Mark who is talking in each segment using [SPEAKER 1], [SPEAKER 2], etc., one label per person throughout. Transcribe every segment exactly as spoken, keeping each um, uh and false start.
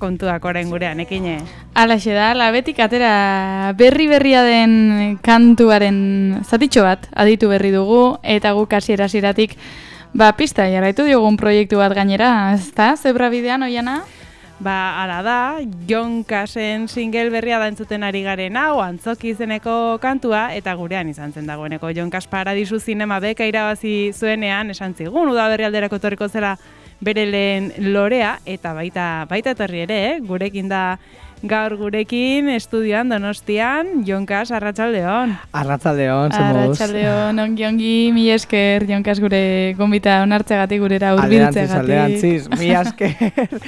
[SPEAKER 1] kontuak orain gurean, ekine.
[SPEAKER 2] Alaxe da, labetik atera berri berria den kantuaren zatitxo bat aditu berri dugu, eta guk hasiera hasieratik ba pista jarraitu diogun proiektu bat gainera, ezta? Zebra bidean oiana?
[SPEAKER 1] Ba, ala da, Jonkasen single berria da entzuten ari garen hau, Antzoki izeneko kantua, eta gurean izan zen dagoeneko Jonkas Paradisu Zinema beka irabazi zuenean, esan zigun, udaberri alderako etorriko zela bere lehen lorea, eta baita baita etorri ere, eh? Gurekin da gaur gurekin, estudioan, Donostian, Jonkas, arratsaldeon.
[SPEAKER 3] Arratsaldeon, zemuz.
[SPEAKER 2] Arratsaldeon, ongi ongi, mi esker, Jonkas gure gonbita onartzegatik gurera hurbiltzegatik.
[SPEAKER 3] Alderantziz, alderantziz, mi esker,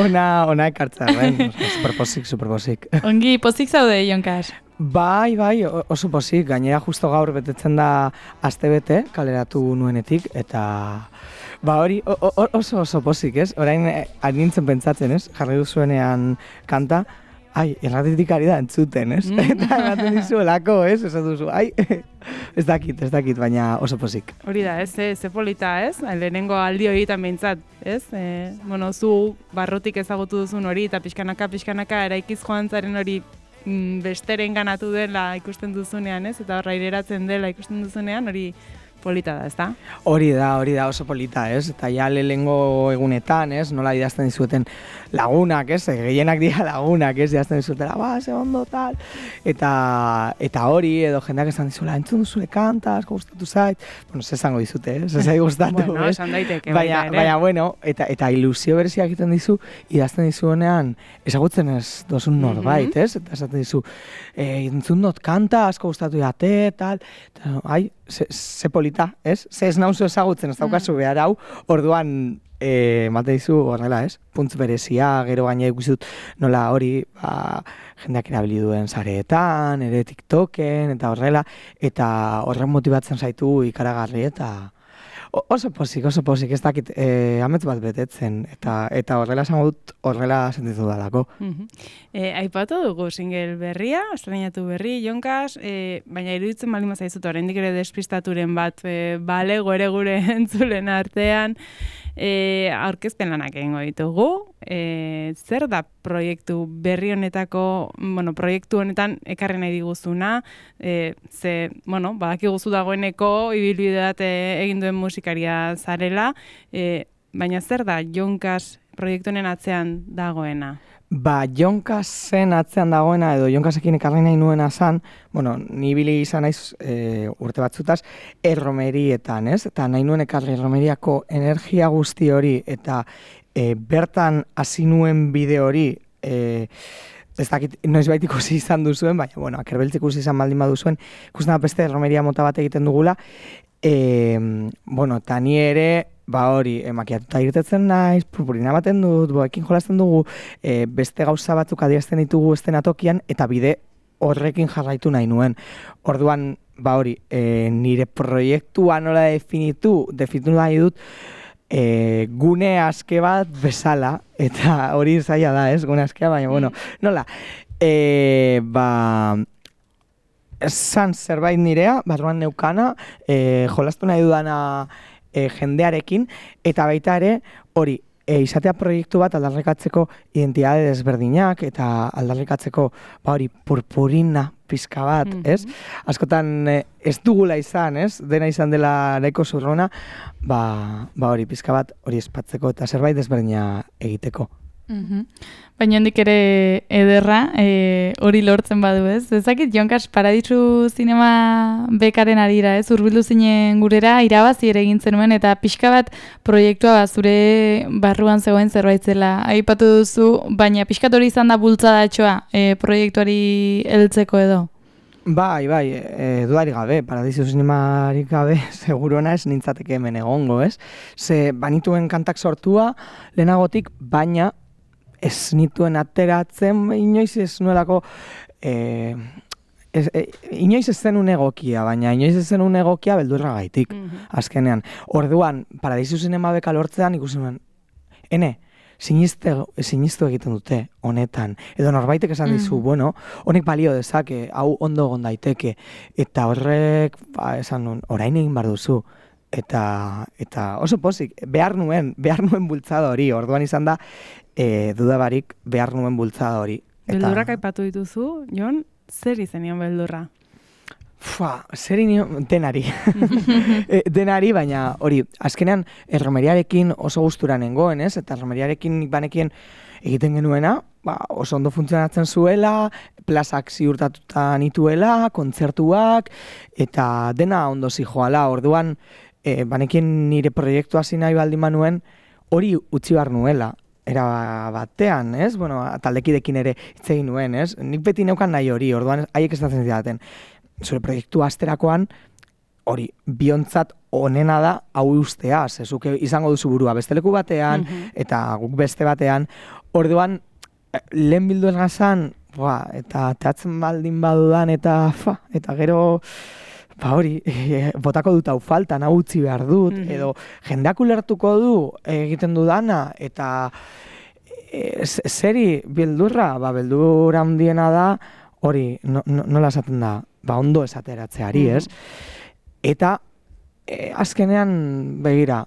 [SPEAKER 3] ona, ona ekartza, ben, superposik, superposik.
[SPEAKER 2] Ongi, pozik zaude, Jonkas?
[SPEAKER 3] Bai, bai, oso posik, gainera justo gaur betetzen da astebete kaleratu nuenetik, eta ba hori oso oso posik, ez? Orain anintzen pentsatzen, ez? Jarri duzuenean kanta, ai, erratitik ari da entzuten, ez? Mm. Eta ematen dizuelako, ez? Ez duzu, ai, ez dakit, ez dakit, baina oso posik.
[SPEAKER 1] Hori da, ez, ze polita, ez? Lehenengo aldi horietan behintzat, ez? E, bueno, zu barrotik ezagutu duzun hori, eta pixkanaka, pixkanaka, eraikiz joan zaren hori mm, besteren ganatu dela ikusten duzunean, ez? Eta horra ireratzen dela ikusten duzunean, hori polita da, ezta?
[SPEAKER 3] Hori da, hori da oso polita, ez? Eta ja lehengo egunetan, ez? Nola idazten dizueten lagunak, ez? Gehienak dira lagunak, ez? Idazten dizuetela, ba, ze ondo, tal. Eta, eta hori, edo jendeak esan dizuela, entzun duzule kanta, asko gustatu zait. Bueno, ze esango dizute, ez? Ez gustatu,
[SPEAKER 1] bueno,
[SPEAKER 3] ez?
[SPEAKER 1] Esan daiteke,
[SPEAKER 3] baina,
[SPEAKER 1] baita ere.
[SPEAKER 3] Baina, bueno, eta, eta ilusio berezia egiten dizu, idazten dizuenean, ezagutzen ez dozun norbait, mm-hmm. ez? Eta esaten dizu, e, entzun dut kanta, asko gustatu jate, tal. Eta, ai, ze, ze polita, ez? Ze ez nauzu ezagutzen, ez daukazu behar hau, orduan, e, mate dizu horrela, ez? Puntz berezia, gero gaina ikusut nola hori, ba, jendeak erabili duen sareetan, ere TikToken, eta horrela, eta horren motibatzen zaitu ikaragarri, eta oso posik, oso posik, ez dakit, eh, amets bat betetzen, eta eta horrela esango dut, horrela sentitu dalako.
[SPEAKER 1] Uh-huh. eh, aipatu dugu single berria, estrenatu berri, Jonkas, eh, baina iruditzen baldin bazaizut, oraindik ere despistaturen bat, eh, balego ere gure entzulen artean, eh, aurkezpen lanak egingo ditugu, eh, zer da proiektu berri honetako, bueno, proiektu honetan ekarri nahi diguzuna, eh, ze, bueno, badakiguzu dagoeneko, ibilbide bat eh, egin duen musikaria zarela, eh, baina zer da Jonkas proiektu honen atzean dagoena?
[SPEAKER 3] Ba, Jonkasen atzean dagoena, edo Jonkasekin ekarri nahi nuena zan, bueno, ni ibili izan naiz e, urte batzutaz, erromerietan, ez? Eta nahi nuen ekarri erromeriako energia guzti hori, eta e, bertan hasi nuen bide hori, e, ez dakit, noiz bait ikusi izan duzuen, baina, bueno, akerbeltzik ikusi izan baldin baduzuen, ikusten da beste erromeria mota bat egiten dugula, e, bueno, eta ni ere, ba hori, makiatuta irtetzen naiz, purpurina baten dut, boekin jolasten dugu, e, beste gauza batzuk adierazten ditugu estenatokian, eta bide horrekin jarraitu nahi nuen. Orduan, ba hori, e, nire proiektua nola definitu, definitu nahi dut, e, gune aske bat bezala, eta hori zaila da, ez, gune askea, baina, bueno, nola, e, ba, esan zerbait nirea, barruan neukana, e, jolastu nahi dudana, E, jendearekin, eta baita ere, hori, e, izatea proiektu bat aldarrikatzeko identitate desberdinak, eta aldarrikatzeko, ba hori, purpurina pizka bat, mm-hmm. ez? Askotan e, ez dugula izan, ez? Dena izan dela nahiko zurrona, ba, ba hori, pizka bat hori espatzeko, eta zerbait desberdina egiteko.
[SPEAKER 2] Mm-hmm. Baina hendik ere ederra, e, hori lortzen badu, ez? Ezakit, Jonkas Paradisu Zinema bekaren arira, ez? Hurbildu zinen gurera, irabazi ere egin zenuen, eta pixka bat proiektua zure barruan zegoen zerbait zela aipatu duzu, baina pixkat hori izan da bultzadatxoa e, proiektuari heltzeko edo?
[SPEAKER 3] Bai, bai, e, dudarik gabe, Paradisu Zinemarik gabe, seguruena ez nintzateke hemen egongo, ez? Ze banituen kantak sortua, lehenagotik, baina ez nituen ateratzen, inoiz ez nuelako, e, ez, e, inoiz ez zenun egokia, baina inoiz ez zenun egokia beldurra gaitik, mm-hmm. azkenean. Orduan, Paradisu Zinema beka lortzean ikusi nuen, ene, sinistu egiten dute honetan, edo norbaitek esan dizu, mm-hmm. bueno, honek balio dezake, hau ondo egon daiteke, eta horrek, ba, esan nuen, orain egin bar duzu, eta, eta oso pozik, behar nuen, behar nuen bultzada hori, orduan izan da, e, dudabarik behar nuen bultzada hori. Eta,
[SPEAKER 1] beldurrak aipatu dituzu, Jon, zer izenion beldurra?
[SPEAKER 3] Fua, zer inio, denari. e, denari, baina hori, azkenean erromeriarekin oso gustura nengoen, ez? Eta erromeriarekin banekien egiten genuena, ba, oso ondo funtzionatzen zuela, plazak ziurtatuta nituela, kontzertuak, eta dena ondo zijoala. Orduan, e, banekien nire proiektua hasi nahi baldin manuen, hori utzi behar nuela. Era batean, ez? Bueno, taldekidekin ere hitz egin nuen, ez? Nik beti neukan nahi hori, orduan haiek estatzen zidaten. Zure proiektua asterakoan, hori, biontzat onena da hau ustea, zezuke izango duzu burua beste leku batean, mm-hmm. eta guk beste batean, orduan, lehen bildu esgazan, eta teatzen baldin badudan, eta fa, eta gero, ba hori, e, botako dut hau faltan, hau utzi behar dut, mm-hmm. edo jendeak ulertuko du egiten dudana, eta e, zeri bildurra, ba, beldurra handiena da, hori, no, no, nola esaten da, ba, ondo esateratzeari, mm-hmm. ez? Eta, e, azkenean, begira,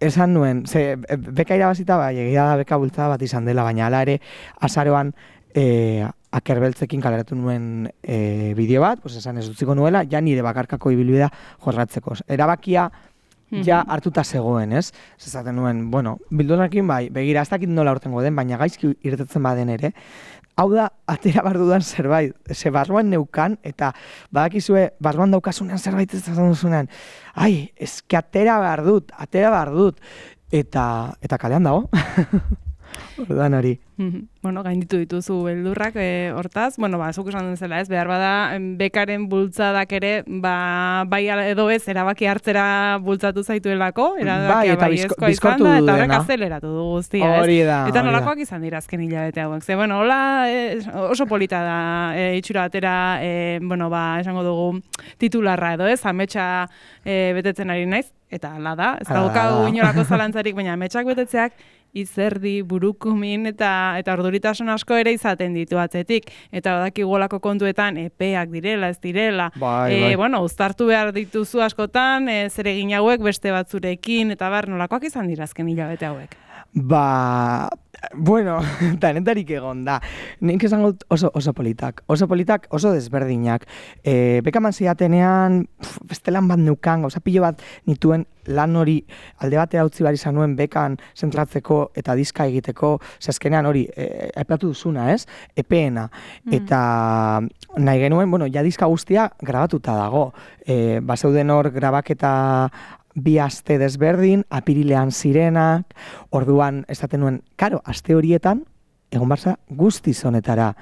[SPEAKER 3] esan nuen, ze, beka irabazita, bai, egia da beka bultzada bat izan dela, baina hala ere, azaroan, e, akerbeltzekin kaleratu nuen e, bideo bat, pues esan ez utziko nuela, ja nire bakarkako ibilbidea jorratzeko. Erabakia ja hartuta zegoen, ez? Zezaten nuen, bueno, bildunakin bai, begira, ez dakit nola hortengo den, baina gaizki irtetzen baden ere, hau da, atera behar dudan zerbait, ze barruan neukan, eta badakizue, barruan daukasunean zerbait ez da duzunean, ai, eski atera behar dut, atera behar dut, eta, eta kalean dago. Orduan hori.
[SPEAKER 1] Bueno, gainditu dituzu beldurrak e, hortaz, bueno, ba, zuk esan duzela, ez, behar bada, bekaren bultzadak ere, ba, bai edo ez, erabaki hartzera bultzatu zaituelako, erabakia bai ezkoa izan da, eta horrek azeleratu du guztia, ez?
[SPEAKER 3] Hori da,
[SPEAKER 1] eta nolakoak izan dira azken hilabete hauek, ze, bueno, hola, e, oso polita da, e, itxura batera, e, bueno, ba, esango dugu titularra edo, ez, ametsa e, betetzen ari naiz, eta hala da, ez daukagu inolako zalantzarik, baina ametsak betetzeak, izerdi, burukumin eta eta orduritasun asko ere izaten ditu atzetik. Eta badakigolako kontuetan epeak direla, ez direla.
[SPEAKER 3] Bai,
[SPEAKER 1] e,
[SPEAKER 3] bai.
[SPEAKER 1] Bueno, uztartu behar dituzu askotan, e, zer egin hauek beste batzurekin, eta bar, nolakoak izan dira azken hilabete hauek?
[SPEAKER 3] Ba, bueno, tanetarik egon da. Nik esango oso, oso politak, oso politak, oso desberdinak. E, bekaman ziatenean, beste lan bat neukan, gauza pilo bat nituen lan hori alde batera utzi behar izan nuen bekan zentratzeko eta diska egiteko, zazkenean hori, e, aipatu duzuna, ez? Epeena. Mm. Eta nahi genuen, bueno, ja diska guztia grabatuta dago. E, bazeuden hor grabaketa bi aste desberdin, apirilean zirenak, orduan esaten nuen, karo, aste horietan, egon barza guztiz honetara.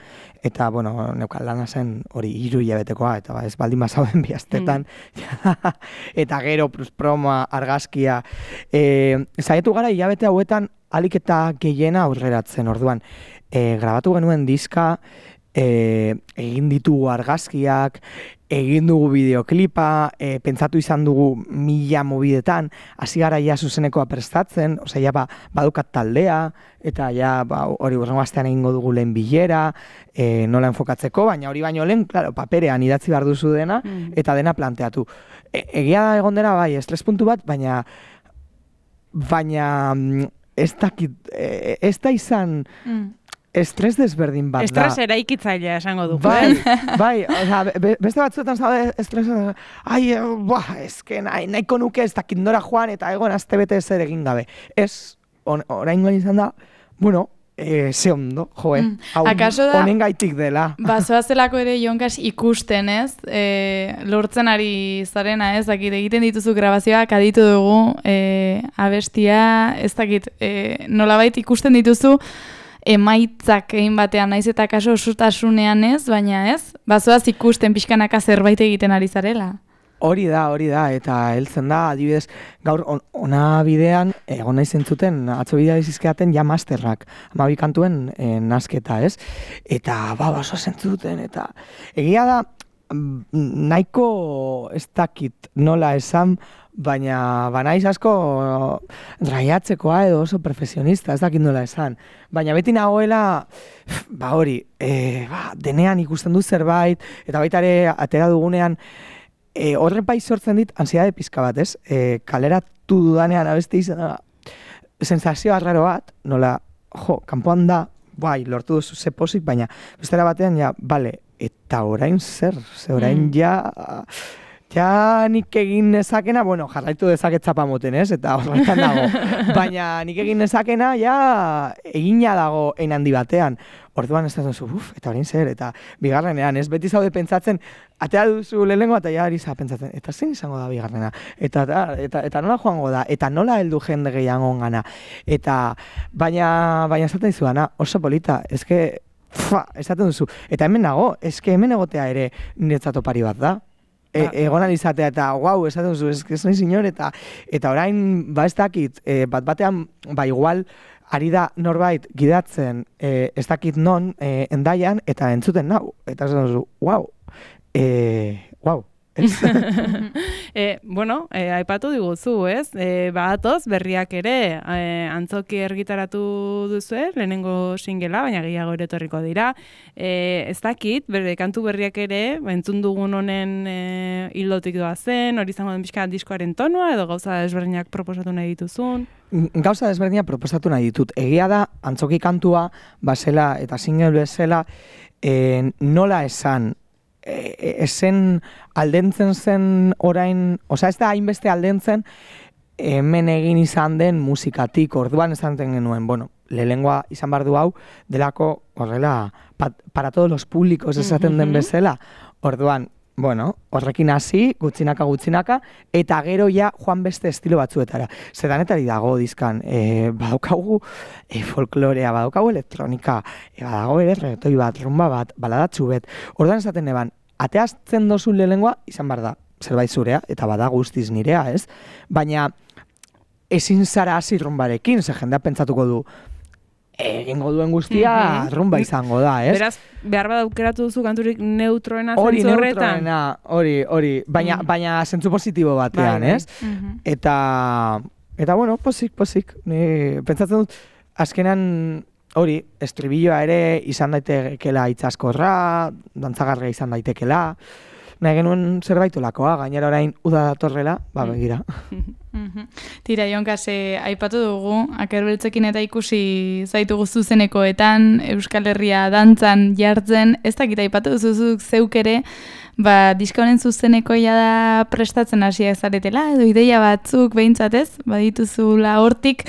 [SPEAKER 3] Eta, bueno, neukan lana zen hori hiru hilabetekoa, eta ba, ez baldin bazauden bi astetan. Mm. Eta gero, promoa, argazkia. E, Zaietu gara hilabete hauetan, alik eta gehiena aurreratzen, orduan. E, grabatu genuen diska, e, egin ditugu argazkiak, egin dugu bideoklipa, e, pentsatu izan dugu mila mobidetan, hasi gara ja zuzenekoa prestatzen, osea, ja ba, badukat taldea, eta ja ba, hori urrengo astean egingo dugu lehen bilera, e, nola enfokatzeko, baina hori baino lehen, claro, paperean idatzi behar duzu dena, mm. eta dena planteatu. E, egia da egon dena, bai, estres puntu bat, baina, baina, ez dakit, e, ez da izan... Mm. Estres desberdin bat da.
[SPEAKER 1] Estres eraikitzailea esango dugu.
[SPEAKER 3] Bai, bai, oza, be, beste batzuetan zaude estres, ai, buah, ezke nahi, nahiko nuke ez dakit nora joan eta egon azte bete ez ere egin gabe. Ez, on, orain goan izan da, bueno, e, ze ondo, joe, mm. hau honen gaitik dela.
[SPEAKER 2] Bazoazelako ere Jonkas ikusten, ez? E, lortzen ari zarena, ez? Dakit, egiten dituzu grabazioak, aditu dugu, e, abestia, ez dakit, e, nolabait ikusten dituzu, emaitzak egin batean naiz eta kaso osotasunean ez, baina ez, bazoaz ikusten pixkanaka zerbait egiten ari zarela.
[SPEAKER 3] Hori da, hori da, eta heltzen da, adibidez, gaur on, ona bidean, egon nahi zentzuten, atzo bidea izizkeaten ja masterrak, amabi kantuen e, nasketa, ez? Eta, ba, baso zentzuten, eta egia da, nahiko ez dakit nola esan, baina banaiz asko raiatzekoa edo oso profesionista, ez dakit nola esan. Baina beti nagoela, ba hori, e, ba, denean ikusten du zerbait, eta baita ere atera dugunean, e, horren bai sortzen dit, ansiedade pizka bat, ez? E, kaleratu dudanean abeste izan da, sensazio arraro bat, nola jo, kanpoan da, bai, lortu duzu ze pozik, baina bestera batean, ja, bale, eta orain zer, ze orain
[SPEAKER 1] Mm.
[SPEAKER 3] ja, ja nik egin nezakena, bueno, jarraitu dezaket zapamoten, ez? Eta horretan dago. Baina nik egin nezakena, ja, egina dago ein handi batean. Orduan ez da duzu, uf, eta orain zer, eta bigarrenean, ez? Beti zaude pentsatzen, atea duzu lehenengo, eta ja ari za pentsatzen, eta zein izango da bigarrena? Eta, eta, eta, eta nola joango da? Eta nola heldu jende gehiago gana? Eta, baina, baina esaten dizuana, oso polita, ezke, fa, esaten duzu. Eta hemen nago, ezke hemen egotea ere niretzat opari bat da. E, egon alizatea eta guau, esaten duzu, ez, ez nahi zinor, eta, eta orain, ba ez dakit, e, bat batean, ba igual, ari da norbait gidatzen, e, ez dakit non, e, endaian, eta entzuten nau. Eta esaten duzu, guau, e, guau.
[SPEAKER 1] e, bueno, e, aipatu diguzu, ez? E, badatoz, berriak ere, e, antzoki ergitaratu duzu, lehenengo singela, baina gehiago ere etorriko dira. E, ez dakit, berde, kantu berriak ere, entzun dugun honen e, hildotik doa zen, hori izango den pixka diskoaren tonua, edo gauza desberdinak proposatu nahi dituzun?
[SPEAKER 3] Gauza desberdinak proposatu nahi ditut. Egia da, antzoki kantua, basela eta single bezala, e, nola esan, E, esen aldentzen zen orain, oza ez da hainbeste aldentzen hemen egin izan den musikatik, orduan esan genuen, bueno, lehengoa izan behar du hau, delako horrela, pat, para todos los públicos esaten den bezala, orduan, bueno, horrekin hasi, gutxinaka gutxinaka, eta gero ja joan beste estilo batzuetara. Zedanetari dago dizkan, e, badaukagu e, folklorea, badaukagu elektronika, e, badago ere reggaetoi bat, rumba bat, baladatxu bet. Orduan esaten eban, ateazten dozun lehengoa, izan behar da, zerbait zurea, eta bada guztiz nirea, ez? Baina ezin zara hasi rumbarekin, ze jendea pentsatuko du, egingo duen guztia mm-hmm. rumba izango da, ez?
[SPEAKER 1] Beraz, behar bat aukeratu duzu kanturik neutroena
[SPEAKER 3] hori
[SPEAKER 1] zentzu horretan?
[SPEAKER 3] Hori neutroena, hori, hori, baina, mm. baina zentzu positibo batean, bai, ez? Mm-hmm. Eta, eta bueno, posik, posik, ni pentsatzen dut, azkenan hori, estribilloa ere izan daitekela itzaskorra, dantzagarria izan daitekela, nahi genuen zerbait olakoa, gainera orain uda datorrela, ba begira.
[SPEAKER 2] Tira, Jonkas, eh, aipatu dugu, Akerbeltzekin eta ikusi zaitugu zuzenekoetan, Euskal Herria dantzan jartzen, ez dakit aipatu duzuzuk zeuk ere, ba, diska honen zuzenekoia da prestatzen hasia zaretela, edo ideia batzuk behintzatez, badituzula hortik,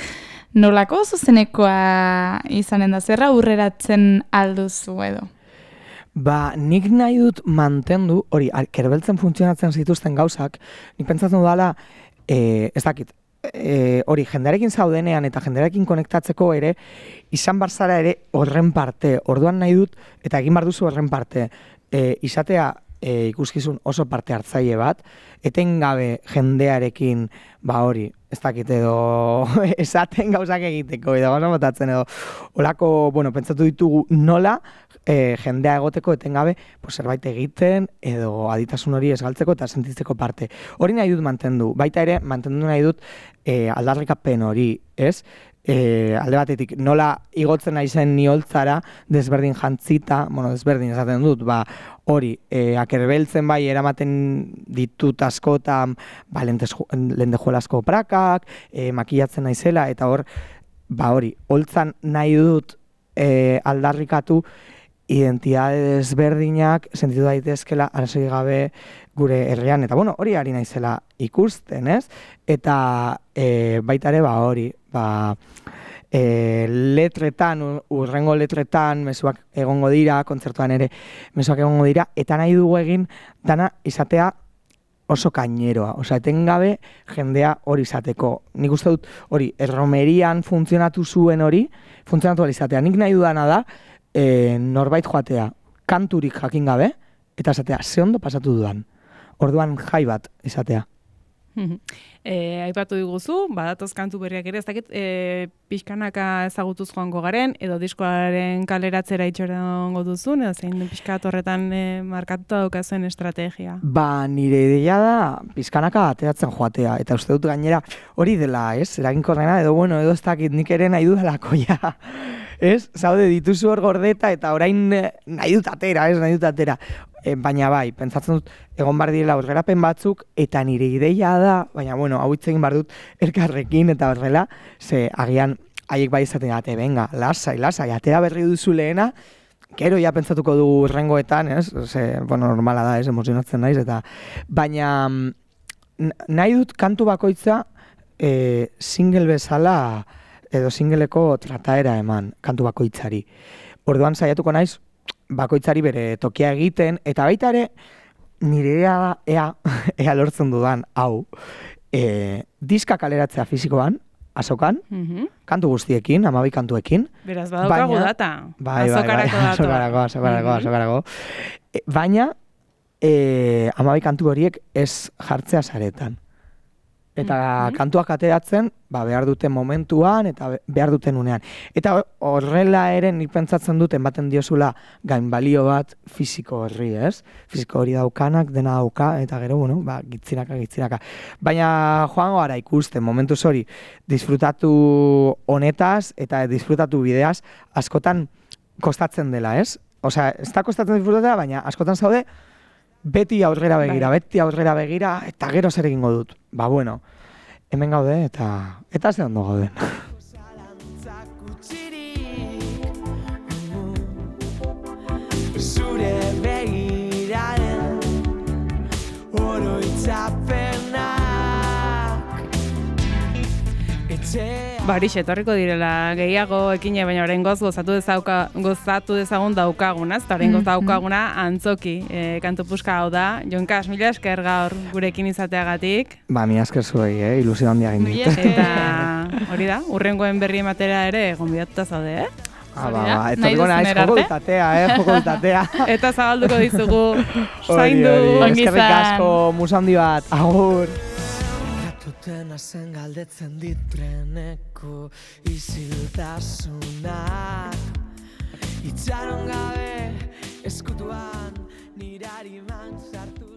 [SPEAKER 2] nolako zuzenekoa izanen da, zerra urreratzen alduzu edo?
[SPEAKER 3] Ba, nik nahi dut mantendu, hori, Kerbeltzen funtzionatzen zituzten gauzak, nik pentsatzen dudala, e, ez dakit, e, hori, jendearekin zaudenean eta jendearekin konektatzeko ere, izan barzara ere horren parte, orduan nahi dut, eta egin bar duzu horren parte, e, izatea e, ikuskizun oso parte hartzaile bat, etengabe jendearekin, ba hori, ez dakit edo esaten gauzak egiteko, edo gauza botatzen edo, olako, bueno, pentsatu ditugu nola, E, jendea egoteko etengabe pues, zerbait egiten edo aditasun hori esgaltzeko eta sentitzeko parte. Hori nahi dut mantendu. Baita ere, mantendu nahi dut e, aldarrikapen hori, ez? E, alde batetik, nola igotzen naizen niholtzara desberdin jantzita, bueno, desberdin esaten dut, ba, hori, e, Akerbeltzen bai eramaten ditut askotan, ba, lentejuelazko prakak, e, makillatzen naizela, eta hor, ba, hori, holtzan nahi dut e, aldarrikatu identitate desberdinak sentitu daitezkela arrazoi gabe gure herrian. Eta bueno, hori ari naizela ikusten, ez? Eta e, baita ere, ba hori, ba, e, letretan, urrengo letretan, mezuak egongo dira, kontzertuan ere mezuak egongo dira, eta nahi dugu egin dana izatea oso kaineroa, osea, etengabe jendea hori izateko. Nik uste dut hori, erromerian funtzionatu zuen hori, funtzionatu izatea. Nik nahi dudana da, E, norbait joatea, kanturik jakin gabe, eta esatea, ze ondo pasatu dudan. Orduan jai bat izatea.
[SPEAKER 1] e, aipatu diguzu, badatoz kantu berriak ere, ez dakit, e, pixkanaka ezagutuz joango garen, edo diskoaren kaleratzera itxorango duzun, edo zein pixkat horretan e, markatuta daukazuen estrategia?
[SPEAKER 3] Ba, nire ideia da pixkanaka ateratzen joatea, eta uste dut gainera hori dela, ez? Eraginkorrena, edo bueno, edo ez dakit nik ere nahi dudalako ja. Ez? Zaude, dituzu hor gordeta eta orain nahi dut atera, ez? Nahi dut atera. E, baina bai, pentsatzen dut, egon bar direla aurrerapen batzuk, eta nire ideia da, baina bueno, hau hitz egin bar dut elkarrekin eta horrela, ze agian haiek bai izaten date, venga, lasai, lasai, atera berri duzu lehena, gero ja pentsatuko du rengoetan, ez? Ze, bueno, normala da, ez, emozionatzen naiz, eta baina nahi dut kantu bakoitza e, single bezala edo singleko trataera eman kantu bakoitzari. Orduan saiatuko naiz bakoitzari bere tokia egiten, eta baita ere nire ea, ea, ea lortzen dudan, hau, e, diska kaleratzea fisikoan, azokan,
[SPEAKER 1] Mhm.
[SPEAKER 3] kantu guztiekin, hamabi kantuekin.
[SPEAKER 1] Beraz, badaukagu
[SPEAKER 3] baina-
[SPEAKER 1] data.
[SPEAKER 3] Bai, bai, bai,
[SPEAKER 1] Azokarako datoa.
[SPEAKER 3] azokarako, azokarako,
[SPEAKER 1] Mhm.
[SPEAKER 3] azokarako. E, baina, e, hamabi kantu horiek ez jartzea saretan. Eta
[SPEAKER 1] Mhm.
[SPEAKER 3] kantuak ateratzen, ba, behar duten momentuan eta be- behar duten unean. Eta horrela ere nik pentsatzen dut ematen diozula gainbalio bat fisiko horri, ez? Fisiko hori daukanak, dena dauka, eta gero, bueno, ba, gitzinaka, gitzinaka. Baina joango gara ikusten, momentuz hori, disfrutatu honetaz eta disfrutatu bideaz, askotan kostatzen dela, ez? Osea, ez da kostatzen disfrutatzea, baina askotan zaude, beti aurrera begira,
[SPEAKER 1] Bai.
[SPEAKER 3] beti aurrera begira, eta gero zer egingo dut. Ba, bueno, hemen gaude, eta eta ze ondo gauden.
[SPEAKER 4] Zalantzak utzirik, zure begiraren oroitzapenak etxea.
[SPEAKER 1] Ba, horixe, etorriko direla gehiago ekine, baina oraingoz gozatu dezauka, gozatu dezagun daukaguna, eta oraingoz
[SPEAKER 2] Mhm.
[SPEAKER 1] daukaguna antzoki. E, kantu puska hau da. Jonkas, mila esker gaur gurekin izateagatik.
[SPEAKER 3] Ba, mi asker zuei, eh? Ilusio handia egin
[SPEAKER 2] Mila
[SPEAKER 3] dit.
[SPEAKER 2] esker.
[SPEAKER 1] Eta hori da, urrengoen berri ematera ere gonbidatuta zaude, eh?
[SPEAKER 3] Ah,
[SPEAKER 2] Hori
[SPEAKER 3] ba,
[SPEAKER 2] da,
[SPEAKER 3] ba,
[SPEAKER 2] nahi
[SPEAKER 3] etorriko naiz,
[SPEAKER 2] duzunera
[SPEAKER 3] joko
[SPEAKER 2] arte.
[SPEAKER 3] dutatea, eh? Joko dutatea.
[SPEAKER 1] Eta zabalduko dizugu
[SPEAKER 3] Hori,
[SPEAKER 1] zaindu.
[SPEAKER 3] hori,
[SPEAKER 2] Ongi
[SPEAKER 3] eskerrik
[SPEAKER 2] izan.
[SPEAKER 3] asko, musa handi bat, agur.
[SPEAKER 4] Gatutena zen galdetzen dit treneko isiltasunak Itxaron gabe eskutuan nirari man sartu